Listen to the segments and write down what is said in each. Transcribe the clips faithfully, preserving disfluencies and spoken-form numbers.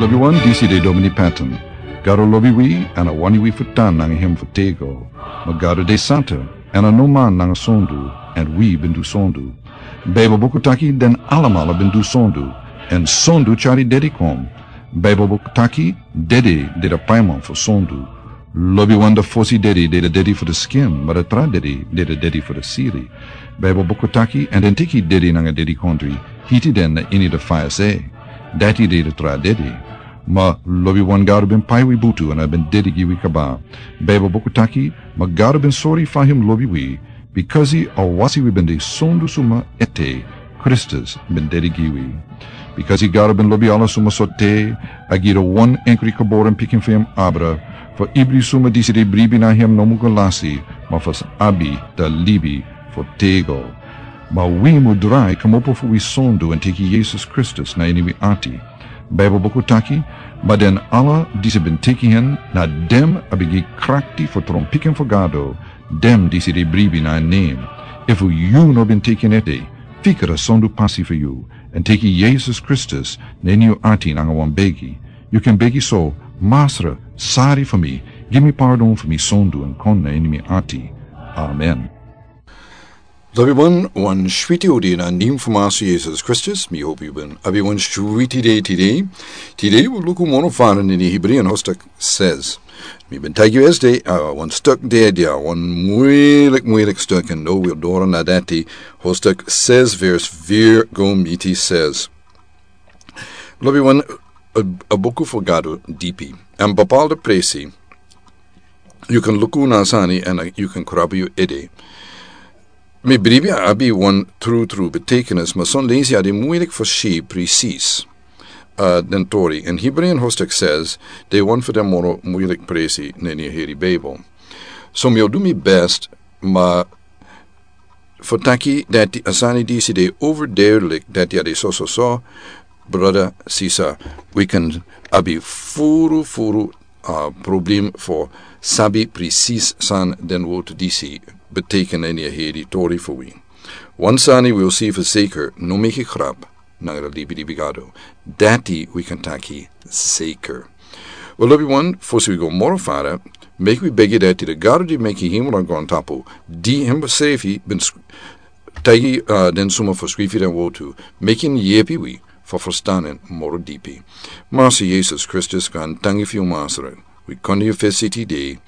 Lobiwan, disi de Domini Patton. Gado lobi wi, èn a wani wi fu tan nanga hem fu tego. Ma Gado de santa, èn a no man nanga sondu, èn wi ben du sondu. Beibel buku taki den alamala ben du sondu, èn sondu tyari dedi kon. Beibel buku taki dede de a paiman fu sondu. Lobiwan, a fosi dedi de a dedi fu a skin, ma a tra dedi de a dedi fu a sili. Beibel buku taki, èn den teki dedi nanga dedikondre, hiti den na ini a faya se. Dati de a tra dedi. Ma lobiwan, Gado ben pai wi butu èn a ben dedi gi wi kaba. Beibel buku taki, ma Gado ben sori fa hem lobi wi, bikasi a wasi wi ben de sondu suma ete, Kristus ben dedi gi wi. Bikasi Gado ben lobi ala suma sortu, a gi a wan enkri geboren pikin fu hem abra, fu ibri suma disi de bribi na hem no mu go lasi, ma fu sa abi a libi fu tego. Ma wi mu drai kmopo fu wi sondu èn teki Yesus Kristus na ini wi ati. Beibel buku taki, ma den ala disi ben teki hen, na den a ben gi krakti fu tron pikin fu Gado, den disi de bribi na en nen. Efu yu no ben teki en ete, fika a sondu pasi fu yu, èn teki Yesus Kristus na ini yu ati nanga wan begi. Yu kan begi so: Masra, sari fu mi, gi mi pardon fu mi sondu èn kon na ini mi ati. Amen. Lobiwan, wan switi odi na nen fu Masra Yesus Kristus. Mi hopi yu ben abi wan switi dei tide. Tide wi o luku moro fara na ini Hebreeën hoofdstuk zes. Mi ben taigi yu esde, a wan stuk de, a wan muilik, muilik stuk, èn now wi o doro na dati, hoofdstuk zes vers vier go miti zes. Lobiwan, a, a buku fu Gado dipi. Èn bepaalde presi, yu kan luku na sani èn, a, yu kan krabu yu ede. Mi bribi a abi wan trutru betekenis, ma son leisi a de muilik fu si presis, a, den tori. Èn Hebreeën hoofdstuk zes de wan fu den moro muilik presi na ini a heri Beibel. So mi o du mi best, ma fu taki dati a sani disi de overduidelijk, dati a de so, so, so, brada, sisa, wi kan abi furu, furu, a, problem fu sabi presis san den wortu disi beteken na ini a heri tori fu wi. Wan sani wi o si fu zeker, no meki grap nanga a libi, libi Gado. Dati wi kan taki zeker. Wel, lobiwan, fosi wi go moro fara, meki wi begi dati a Gado di meki hemel nanga grontapu, di hem srefi ben sk-, taigi, a, den suma fu skrifi den wortu, meki en yepi wi fu ferstan en moro dipi. Masra Yesus Kristus, gaantangi fu yu, Masra. Wi kon na yu fesi tide.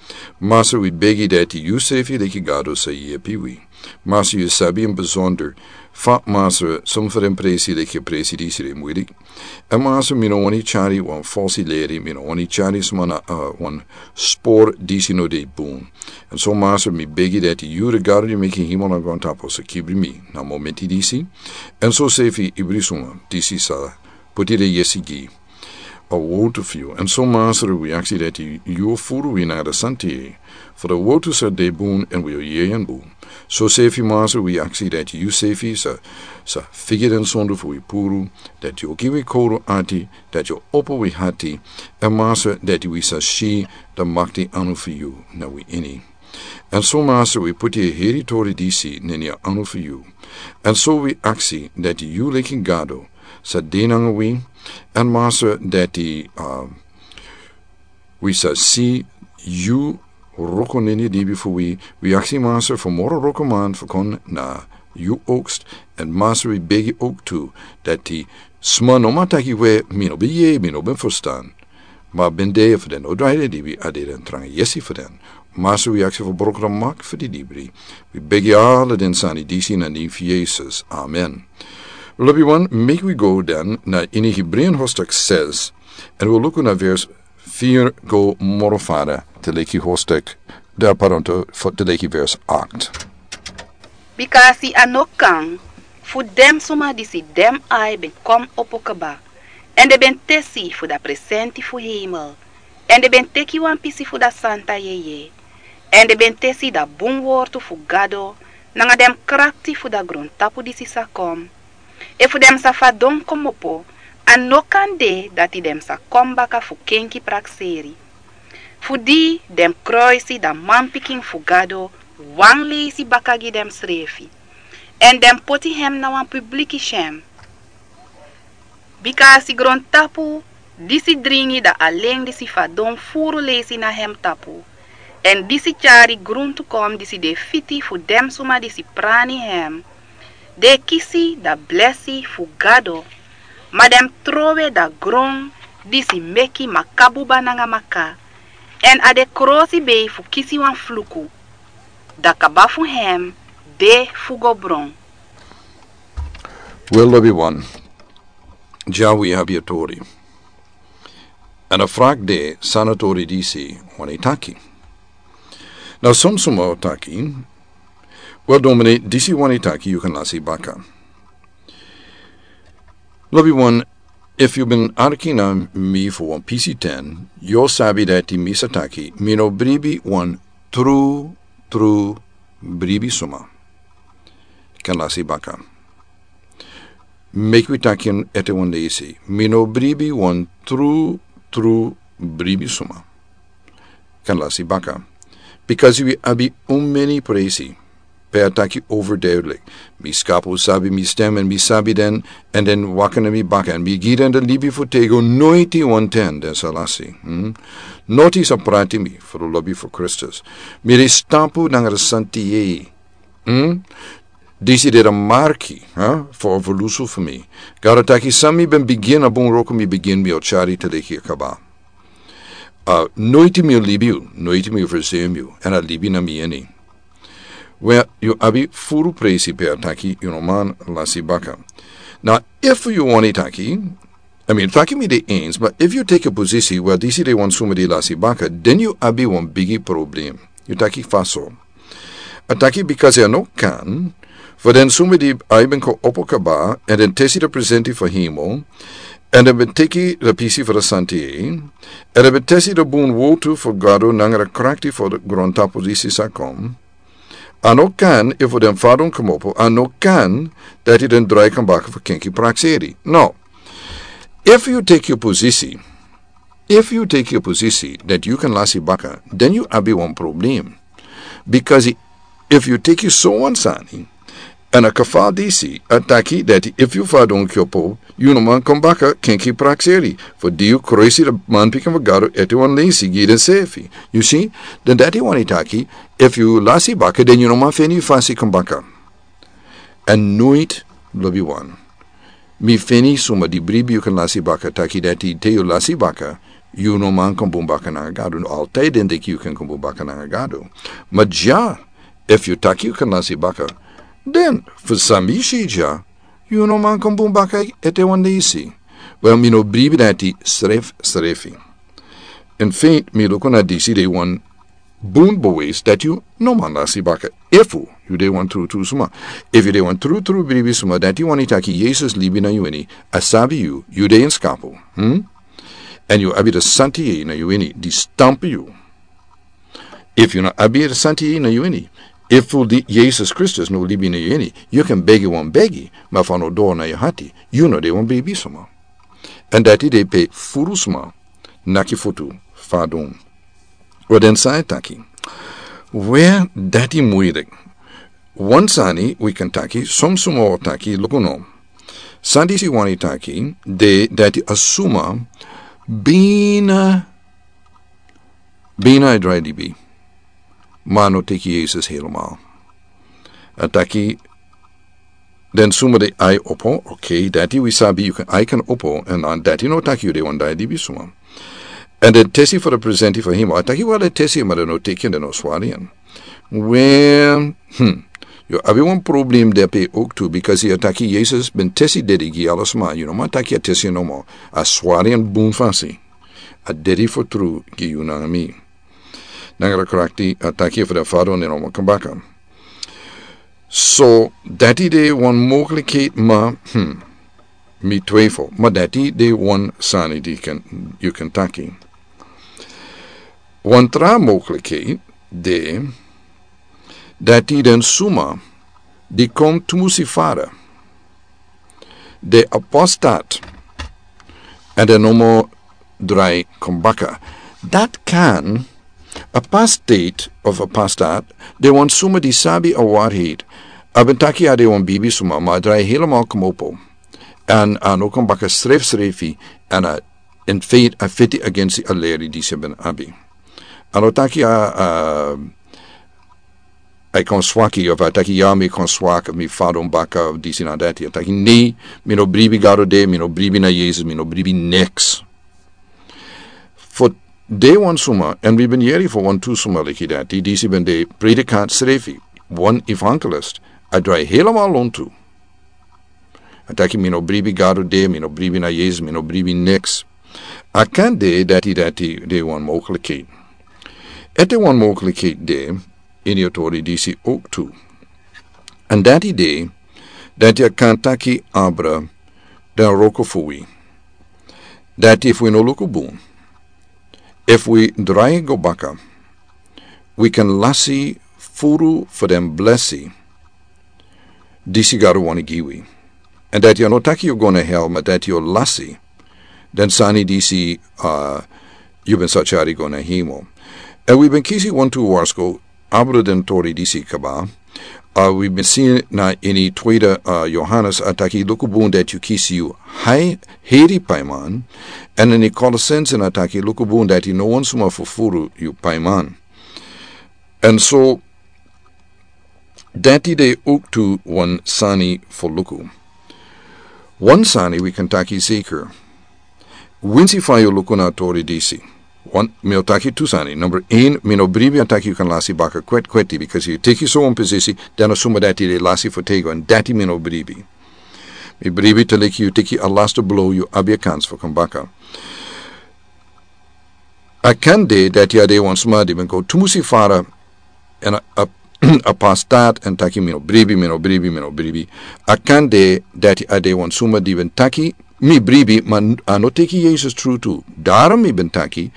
Masra, wi begi dati yu srefi leki Gado sa yepi wi. Masra, yu sabi in besonder fa, Masra, suma fu den presi leki a presi disi de muilik. Èn Masra, mi no wani tyari wan falsi leri, mi no wani tyari suma na, a, wan spor disi no de bun. Èn so, Masra, mi begi dati yu, a Gado di meki hemel nanga grontapu, sa kibri mi na momenti disi. Èn so srefi ibri suma disi sa poti den yesi gi a wortu fu yu. Èn so, Masra, wi aksi dati yu o furu wi nanga a santa yeye, fu a wortu sa de bun èn wi o yere en bun. So srefi, Masra, wi aksi dati yu srefi sa, sa figi den sondu fu wi puru, dati yu o gi wi kowru ati, dati yu o opo wi ati, èn Masra, dati wi sa si a makti anu fu yu na wi ini. Èn so, Masra, wi poti a heri tori disi na ini a anu fu yu. Èn so wi aksi dati yu leki Gado sa de nanga wi, èn Masra, dati, a, wi sa si yu wroko na ini a libi fu wi. Wi aksi, Masra, fu moro wrokoman fu kon na yu oogst, èn Masra, wi begi ook tu dati sma no man taki we, mi no ben yere, mi no ben ferstan. Ma ben de fu den no drai den libi, a de den tranga yesi fu den. Masra, wi aksi fu broko a mak fu di libri. Wi begi ala den sani disi na nen fu Yesus. Amen. Lobiwan, meki wi go dan na ini Hebreeën hoofdstuk zes, èn wi o luku na vers vier go moro fara, te leki hoofdstuk, de, pardon, te, fu, te leki vers acht. Bikasi a no kan fu den suma disi den ai ben kon opo kaba, èn den ben tesi fu a presenti fu hemel, èn den ben teki wan pisi fu a santa yeye, èn den ben tesi a bun wortu fu Gado nanga den krakti fu a grontapu disi sa kon. Efu den sa fadon komopo, a no kan de dati den sa kon baka fu kenki prakseri. Fu di den kroisi a manpikin fu Gado wan leisi baka gi densrefi, èn den poti hem na wan publiki syen. Bikasi grontapu Disi dringi da alen disi fadon furu leisi na hem tapu, èn disi tyari gruntu kon disi de fiti fu den suma disi prani hem, den e kisi da blesi fu Gado, ma den mus trowe da gron disi meki makabuba nanga maka, èn a de krosi bei fu kisi wan fluku, da kaba fu hem de fu go bron. Wel, lobi wan, dya wi abi a tori. Èn a frak de san a tori disi wani taki. Na son suma o taki, wel, domini, disi wani taki yu kan lasi baka. Lobi wan, efu yu ben arki na mi fu wan pisi ten, yu o sabi dati mi sa taki mi no bribi wan tru tru bribi suma kan lasi baka. Meki wi taki en ete wan leisi. Mi no bribi wan tru tru bribi suma kan lasi baka. Bikasi wi abi un meni presi pe a taki overduidelijk. Mi skapu sabi mi stem èn mi sabi den, èn den waka na mi baka èn mi gi den de libi fu tego, noiti wan ten den sa lasi. Noti sa prati mi fu de lobi fu Kristus. Mi de stampu nanga de santi yei. Disi de de marki fu a evolusu fu mi. Gado taki san mi ben bigin a bun wroko mi bigin mi o tyari te leki a kaba. Noiti mi o libi yu, noiti mi o versemi yu, èn a libi na mi ini. Wel, yu abi furu presi pe a taki yu no man lasi baka. Na efu yu wani taki, a mi taki mi de ens, ma efu yu teki a posisi wel disi de wan suma di lasi baka, den yu abi wan bigi problem. Yu taki faso. A taki bikasi a no kan fu den suma di ai ben kon opo kaba èn den tesi de presenti fu hemel, èn den ben teki de pisi fu de santi yei, èn den ben tesi de bun wotu fu Gado nanga de krakti fu de grontapu disi sa kon. A no kan efu den fadon komopo a no kan dati den drai kon baka fu kenki prakseri. No. Efu yu teki yu posisi, efu yu teki yu posisi dati yu kan lasi baka, den yu abi wan problem. Bikasi efu yu teki so wan sani, èn a kafal disi a taki dati efu yu fadon kyopo, yu no man kon baka kenki prakseri. Fu di yu kroisi de manpikin fu Gado ete wan leisi gi den sefi. Yu si, den dati wani taki, efu yu lasi baka den yu no man feni yu fasi kon baka. Èn noiti, lobi wan, mi feni suma di bribi yu kan lasi baka taki dati te yu lasi baka, yu no man kon bun baka nanga Gado. No, altai den deki yu kan kon bun baka nanga Gado. Ma dya, efu yu taki yu kan lasi baka, den fu san mi si dya, yu no man kon bun baka ete wan leisi. Wel, mi no bribi dati srefsrefi. Èn feit mi luku na disi de wan bun beweis dati yu no man lasi baka efu yu de wan trutru suma. Efu yu de wan trutru bribi suma dati wani taki Yesus libi na yu ini, a sabi yu, yu de en skapu. Èn yu abi de santi yei na yu ini di stampu yu. Efu yu no abi de santi yei na yu ini, efu di Yesus Kristus no libi na yu ini, yu kan begi wan begi, ma fu a no doro na yu hati, yu no de wan bribi suma. Èn dati de pe furu suma naki futu fadon. Wel, den sani taki, we, dati muilik. Wan sani wi kan taki, son suma o taki luku no. San disi wani taki de dati a suma bina, bina e drai libi, ma a no teki Yesus helemaal. A taki den suma de ai opo, ok, dati wi sabi yu kan ai kan opo, èn dati no taki yu de wan dai libi suma. Èn den tesi fu de presenti fu hemel, a taki wel den tesi ma den no teki en, den no swari en. We, yu abi wan problem de pe ook tu, bikasi a taki Yesus ben tesi dedi gi ala suma, yu no man taki a tesi nomo, a swari en bun fasi. A dedi fu tru gi yu nanga mi. Nanga de krakti a taki fu den fadon den no man kon baka. So dati de wan mogelikheid, ma mi twijfel, ma dati de wan sani di yu kan taki. Wan tra mogelikheid de dati den suma di kon tumusi fara, de apostat, èn den no mo drai kon baka. Dati kan, apostate of apostat, de wan suma di sabi a waarheid. A ben taki a de wan bibi suma, ma a drai helemaal komopo. Èn a no kon baka srefsrefi, èn a En feit a feti agensi a leri disi ben abi. A no taki a, a, a kon swaki of a taki ya mi kon swak mi fadon baka of disi na dati. A taki nei, mi no bribi Gado de, mi no bribi na Yesus, mi no bribi niks. Fu de wan suma, en wi ben yeri fu wan tu suma leki dati, disi ben de predikant srefi, wan evangelist, a drai helemaal lontu. A taki mi no bribi Gado de, mi no bribi na Yesus, mi no bribi niks. A kan de dati dati de wan mogelijkheid. Ete wan mogelijkheid de, ini a tori disi ook tu. En dati de, dati a kan taki abra, dan roko fu wi. Dati fu wi no luku bun. Efu wi drai go baka, wi kan lasi furu fu den blesi disi Gado wani gi wi. En dati a no taki yu go na hel, ma dati yu lasi den sani disi, uh, yu ben sa tyari go na hemo. En wi ben kisi wantu warsko abra den tori disi kaba. Uh, wi ben si na ini tweede, uh, Johannes a taki luku bun dati yu kisi yu hai heri paiman. En ini Kolosense a taki luku bun dati no wan suma fufuru yu paiman. En so dati de ook tu wan sani fu luku. Wan sani wi kan taki zeker. Winsi fa yu luku na tori disi. Wan, mi o taki tu sani. Number een, mi no bribi a taki yu kan lasi baka kwet kweti, because yu teki so wan posisi, dan a suma dati de lasi fu tego, en dati mi no bribi. Mi bribi te leki yu teki a laste blow yu abi a kans fu kon baka. A kan de dati a de wan suma di ben go tumusi fara en a, a, a pastat en taki mi no bribi, mi no bribi, mi no bribi. A kan de dati a de wan suma di ben taki mi bribi, ma a no teki Yesus tru tu. Daarom mi ben taki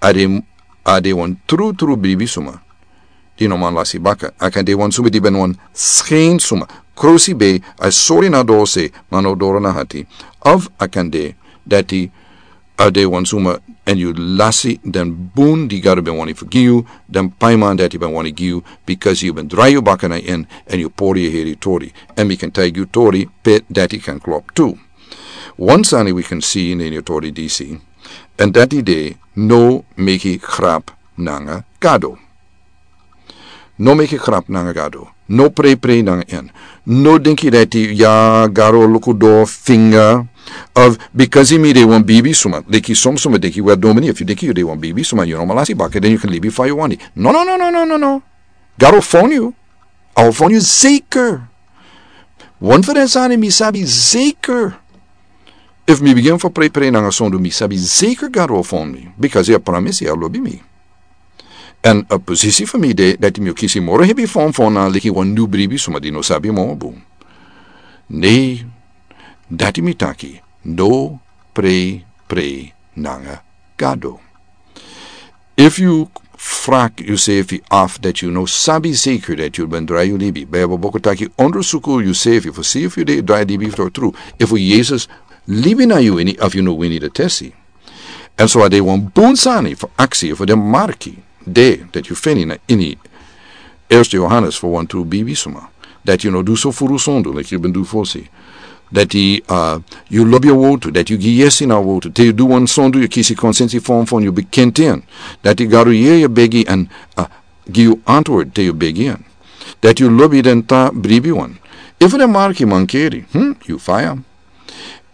a de, a de wan tru tru bribi suma. Di no man lasi baka. A kan de wan suma di ben wan skein suma. Krosi be a sori na dose, ma no doro na hati. Of a kan de dati a de wan suma en yu lasi den bun di Gado ben wani fu gi yu, den paiman dati ben wani gi yu, because yu ben drai yu baka na en, en yu pori yu heri tori. En mi kan taigi yu tori, pe dati kan klop tu. Wan sani wi kan si na ini yu tori disi. En dati de no meki grap nanga Gado. No meki grap nanga Gado. No prei prei nanga en. No denki dati ya Gado luku do finga. Of because mi de wan bibi suma. Deki som suma deki wan domini. If yu deki yu de wan bibi suma, yu no man lasi baka, den yu kan libi fa yu wani. No, no, no, no, no, no, no. Gado fon yu. A o fon yu zeker. Wan fu den sani mi sabi zeker. Efu mi bigin fu prei prei nanga sondu, mi sabi zeker Gado o fon mi. Because a promise, a lobi mi. En a posisi fu mi de dati mi o kisi moro hebi fon fon na leki wan nu bribi suma di no sabi moro bun. Nei, dati mi taki, no prei prei nanga Gado. Efu yu frak yusefi af dati yu no sabi zeker dati yu ben drai yu libi, Bijbel boko taki ondersuku yusefi fu si efu yu de drai libi fu tru, efu Yesus libi na yu ini, efu yu no wini de tesi. En so a de wan bun sani fu aksi fu den marki de dati yu feni na ini Eerste Johannes fu wan tru bibi suma. Dati yu no du so furu sondu leki yu ben du fosi. Dati, uh, yu lobi a wotu, dati yu gi yesi na wotu. Te yu du wan sondu yu kisi konsensi fon fon yu bekenti en. Dati Gado yere yu begi en, uh, gi yu antwoord te yu begi en. Dati yu lobi den tra bribi wan. Efu den marki mankeri, hmm, yu faya.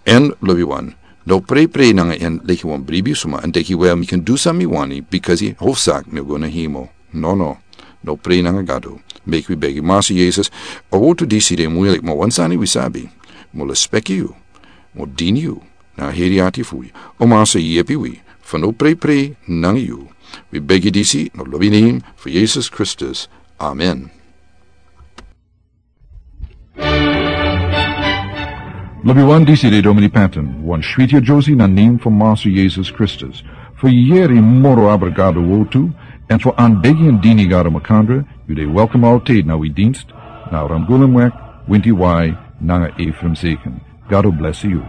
En lobi wan, no prei prei nanga en leki wan bribi suma, en denki wel mi kan du san mi wani, because a hofsaki mi o go na hemo. No, no. No prei nanga Gado. Meki wi begi Massa Yesus. A wotu disi de muilik, ma wan sani wi sabi. Mi o lespeki yu. Mi o dini yu. Na heri ati fu wi. O Massa yepi wi. Fu no prei prei nanga yu. Wi begi disi na lobi nen fu Yesus Kristus. Amen. Lobi wan, disi de Domini Patton, wan switi a Josie na nen fu Massa Yesus Kristus. Fu yere moro abra Gado wotu, en fu anbegi en dini Gado makandra, yu de welkom altijd na wi dienst, na Ramgulumweg, winti wai, nanga Ephraim Zeken. Gado bless yu.